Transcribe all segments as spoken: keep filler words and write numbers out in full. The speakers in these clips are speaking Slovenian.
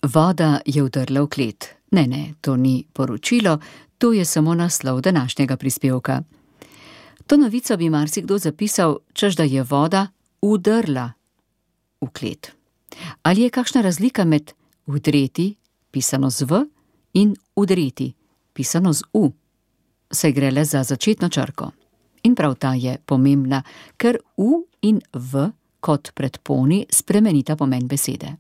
Voda je vdrla v klet. Ne, ne, to ni poročilo, to je samo naslov današnjega prispevka. To novico bi marsikdo zapisal, češ da je voda vdrla v klet. Ali je kakšna razlika med vdreti, pisano z v, in udreti, pisano z u? Saj gre le za začetno črko. In prav ta je pomembna, ker u in v kot predponi spremenita pomen besede.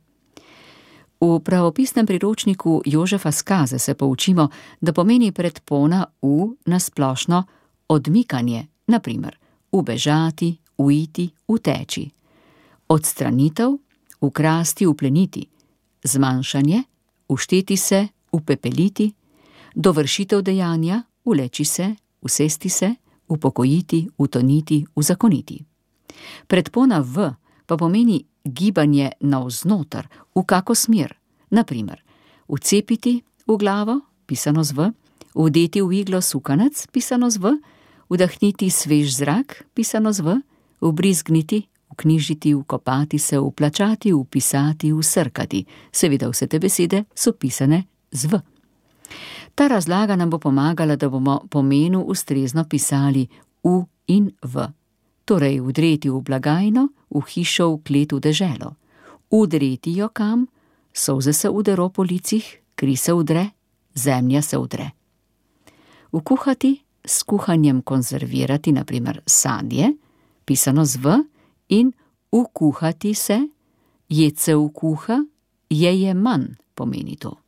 V pravopisnem priročniku Jožefa Skaze se poučimo, da pomeni predpona u nasplošno odmikanje, na primer ubežati, uiti, uteči, odstranitev, ukrasti, upleniti, zmanjšanje, ušteti se, upepeliti, dovršitev dejanja, uleči se, usesti se, upokojiti, utoniti, uzakoniti. Predpona v pa pomeni gibanje navznoter, v kako smer, na primer vcepiti v glavo, pisano z v, vdeti v iglo sukanec, pisano z v, vdahniti svež zrak, pisano z v, vbrizgniti, vknjižiti, vkopati se, vplačati, vpisati, vsrkati. Seveda vse te besede so pisane z v. Ta razlaga nam bo pomagala, da bomo pomenu ustrezno pisali u in v. Torej vdreti v blagajno, v hišo, v klet, v deželo. Udreti jo kam, solze se udero po licih, kri se udre, zemlja se udre. Vkuhati, s kuhanjem konzervirati, na primer sadje, pisano z v, in vkuhati se, jed se vkuha, je je manj, pomeni to.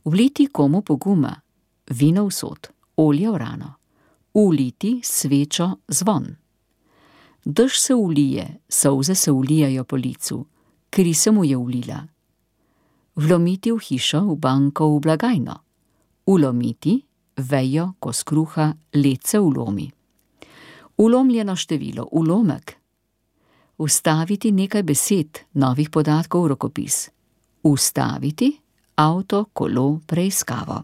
Vliti komu poguma, vino v sod, olje v rano. Uliti svečo zvon. Dež se ulije, solze se ulijajo po licu, kri se mu je ulila. Vlomiti v hišo, v banko, v blagajno. Ulomiti, vejo, kos kruha, led se ulomi. Ulomljeno število, ulomek. Vstaviti nekaj besed, novih podatkov v rokopis. Ustaviti, avto, kolo, preiskavo.